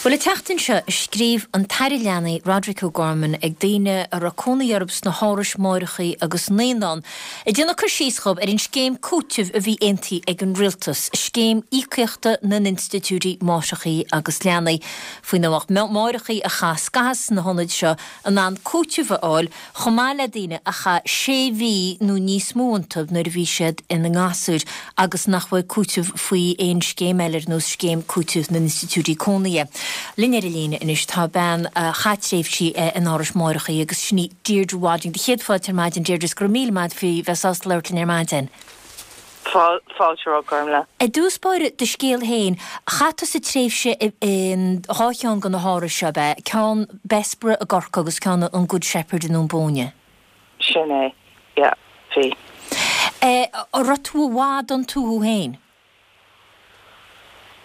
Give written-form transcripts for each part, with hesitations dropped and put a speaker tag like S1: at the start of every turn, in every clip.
S1: Bhuel, an tseachtain seo, scríobh an tAire Leanaí, Roderic O'Gorman, ag daoine a raibh cónaí orthu sna hárais máithreacha agus naíonán, ag déanamh cur síos dhóibh ar an scéim cúitimh a bhí aontaithe ag an Rialtas, Scéim Íocaíochta na nInstitiúidí Máithreacha agus Leanaí, faoina mbeadh máithreacha a chaith scaitheamh sna hionaid seo in ann cúiteamh a fháil chomh maith le daoine a chaith sé mhí nó níos mó iontu nuair a bhí siad ina ngasúir agus nach bhfuair cúiteamh faoi aon scéim eile ar nós Scéim Cúitimh na nInstitiúidí Cónaithe. Linn ar an líne anois tá bean a chaith tréimhsí in árais máithreacha agus sin í Deirdre Wadding. Do chéad fáilte ar maidin Deirdre is go raibh míle maith agat faoi bheith sásta labhairt linn ar maidin.
S2: Fáilte romhat, Gormlaith.
S1: I dtús báire, do scéal féin, chaith tusa tréimhse in dhá cheann de na hárais seo, ab ea? Ceann Bessborough i gCorcaigh agus ceann an Good Shepherd i nDún Búinne.
S2: Sin é, yeah, bhí.
S1: An raibh tú i bhfad iontu thú féin?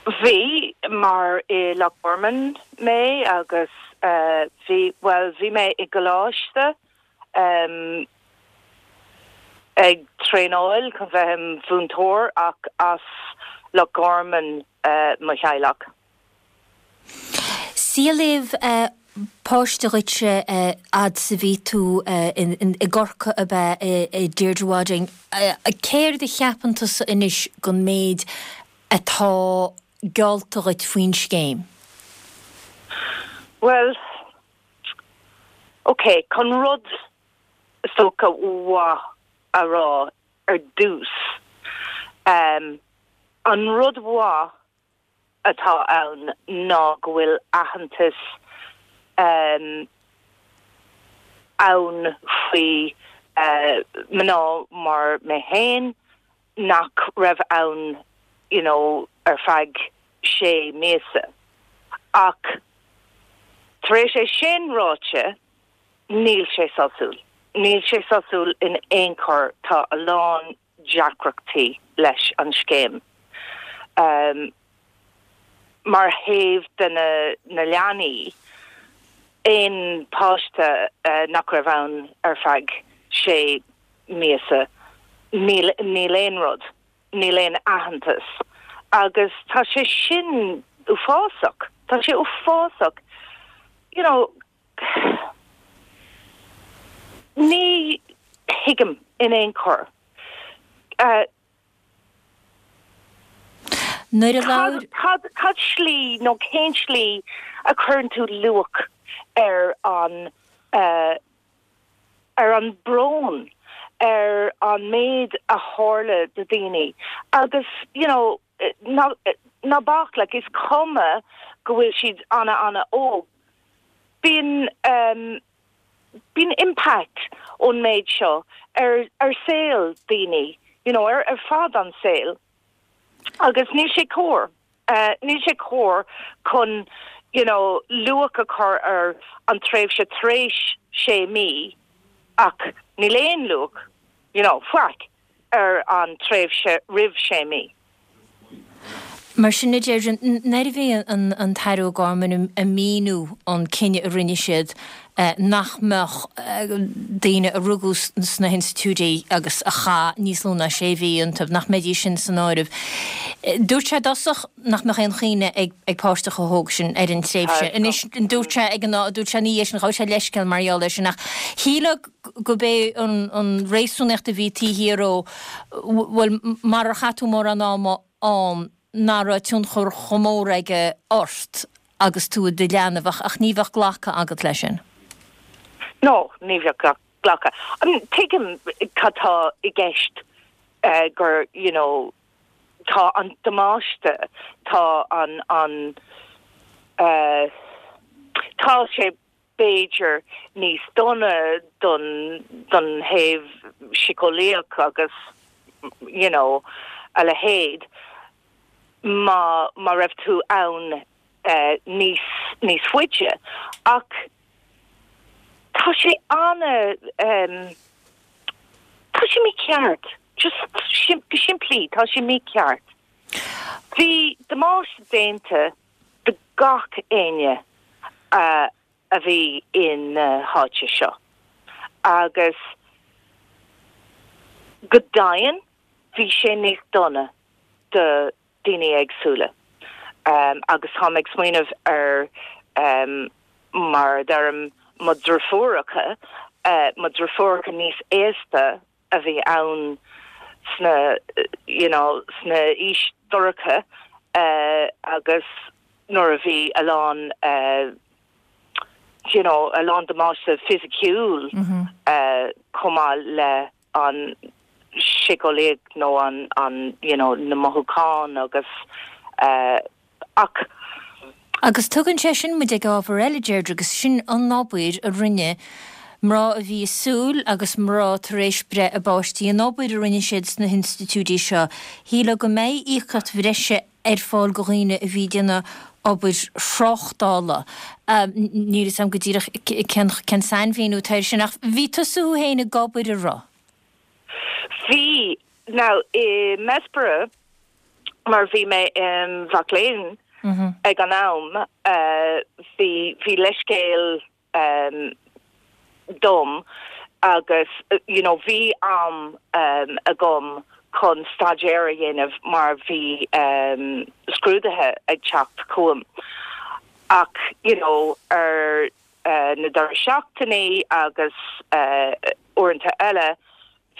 S2: Bhí, mar i Loch Gorman mé agus bhí, bhuel, bhí mé i gcoláiste, ag traenáil chun bheith im mhúinteoir ach as Loch Gorman mo theaghlach.
S1: Saolaíodh páiste dhuitse fhad 's a bhí tú i gCorcaigh ab ea, a Deirdre Wadding. Céard a cheapann tusa anois den méid atá geallta dhuit faoin scéim?
S2: Bhuel, Ok, chun rud is dócha mhaith a rá ar dtús, an rud mhaith atá ann ná go bhfuil aitheantas ann faoi mná mar mé féin nach raibh ann you know ar feadh sé míosa. Ach tar éis é sin ráite, níl sé sásúil. Níl sé sásúil in aon chor, tá a lán deacrachtaí leis an scéim. Mar thaobh de na leanaí, aon páiste nach raibh ann ar feadh sé míosa, níl níl aon rud. níl aon aitheantas agus tá sé sin uafásach, tá sé uafásach, you know, ní thuigim in aon chor.
S1: Nuair a labhair.
S2: Cad, cad slí nó cén slí a chuireann tú luach ar an eh, ar an brón, ar an méid a tharla do daoine agus you know ná ná bac like is cuma go bhfuil siad ana ana óg bíonn um bíonn impact ón méid seo ar ar saol daoine you know ar ar fad an saol agus níl sé cóir. Níl sé cóir chun you know luach a chur ar an tréimhse tar éis sé mí ach níl aon luach you know faic ar an tréimhse roimh sé mí.
S1: Mar sin, a Deirdre, nuair a bhí an tAire O'Gorman ag míniú an cinneadh a rinne siad nach mbeadh daoine a rugadh sna hinstitiúidí agus a chaith níos lú ná sé mhí iontu, nach mbeidís sin san áireamh. Dúirt sé i dtosach nach mbeadh aon chuimhne ag páiste chomh hóg sin ar an tréimhse. Anois, dúirt sé ag an, dúirt sé ina dhiaidh sin, ghabh sé leithscéal mar gheall air sin ach shílfeá gurb é an réasúnaíocht a bhí taobh thiar dó, bhuel, marar chaith tú mórán ama ann, nach raibh tionchar chomh mór aige ort agus tú i do leanbh ach ach ní bheadh glactha agat leis sin.
S2: No, ní bheadh glactha. I mean, tuigim cad tá i gceist gur, you know, tá an damáiste, tá an, an, tá sé b'fhéidir níos dona don don thaobh síceolaíoch agus you know a leithéid má má raibh tú ann níos níos faide ach tá sé ana tá sé mícheart just go simplí tá sé mícheart. Bhí damáiste déanta do gach éinne a bhí in na háite seo agus go deimhin bhí sé níos dona do daoine éagsúla. Agus táim ag smaoineamh ar, mar a deirim, mo dhriofúracha, mo dhriofúracha níos aosta a bhí ann sna, you know, sna aois dorcha agus nuair a bhí a lán, you know, a lán damáiste fisiciúil chomh maith le an síceolaíocht nó an, an, you know, na mothúcháin agus eh ach.
S1: Agus tugann sé sin muid ag ábhar eile, Deirdre, agus sin an obair a rinne mná a bhí i súil agus mná tar éis breith a bpáistí, an obair a rinne siad sna hinstitiúidí seo. Shílfeá go mbeidh íocaíocht bhreise ar fáil go dhaoine a bhí ag déanamh obair thráchtála. Níl fhios agam go díreach cén cén sainmhíniú atá air sin ach bhí tusa thú féin ag obair, an raibh?
S2: Bhí. Now i mBessborough, mar bhí mé im mhac léinn ag an am, bhí bhí leithscéal dom agus you know bhí am agam chun staidéar a dhéanamh mar bhí scrúduithe ag teacht chugam ach you know ar na deireadh seachtainí agus uaireanta eile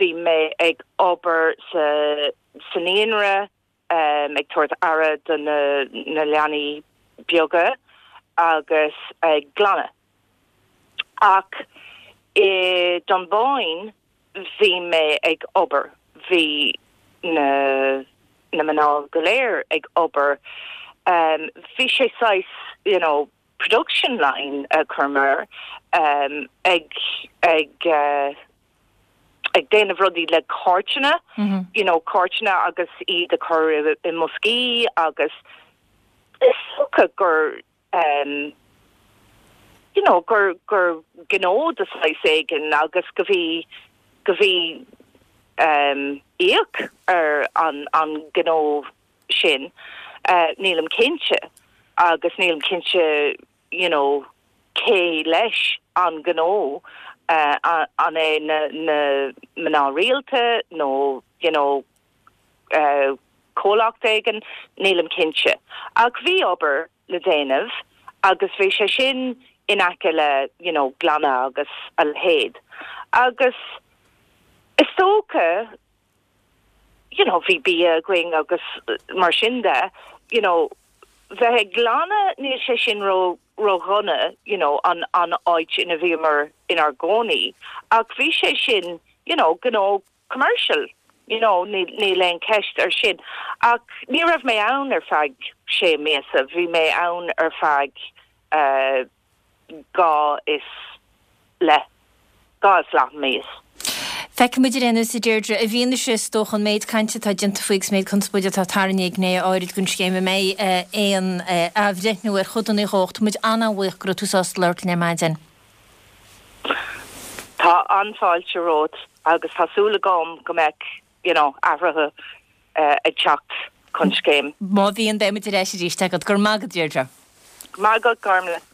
S2: bhí mé ag obair sa sa naíonra ag tabhairt aire do na leanaí beaga agus ag glanadh. Ach i Dunboyne bhí mé ag obair, bhí na na mná go léir ag obair. Bhí sé saghas you know production line a chuir mé air ag ag ag déanamh rudaí le cairteanna, you know, cairteanna agus iad a chur i mboscaí agus is dócha gur um, you know, gur, gur gnó de saghas éigin agus go bhí, go bhí um, íoc ar an, an gnó sin. Uh, nílim cinnte agus nílim cinnte you know, cé leis an gnó, an é na mná rialta nó you know comhlacht éigin, nílim cinnte. Ach bhí obair le déanamh agus bhí sé sin in aice le you know glanadh agus a leithéid. Agus is dócha you know bhí bia againn agus mar sin de, you know bheith ag glanadh níl sé sin ró ró-dhona you know an an áit ina bhíomar inár gcónaí ach bhí sé sin you know gnó commercial you know níl níl aon cheist ar sin ach ní raibh mé ann ar feadh sé míosa bhí mé ann ar feadh eh 2 is leath, 2 is leath míos.
S1: Feicfidh muid ar aon nós, a Deirdre, i bhfianaise, is dócha, an méid cainte atá déanta faoi agus an méid conspóide atá tarraingthe ag gnéithe áirid den scéim, an mbeidh aon athbhreithniú ar chodanna dhe ach tá muid an-an-bhuíoch go raibh tú sásta labhairt linn ar maidin.
S2: Tá an-fháilte romhat agus tá súil agam go mbeidh you know athruithe ag teacht chun scéim.
S1: Má bhíonn, beidh muid ar ais arís agat. Go raibh maith agat, Deirdre.
S2: Go raibh maith agat, Gormlaith.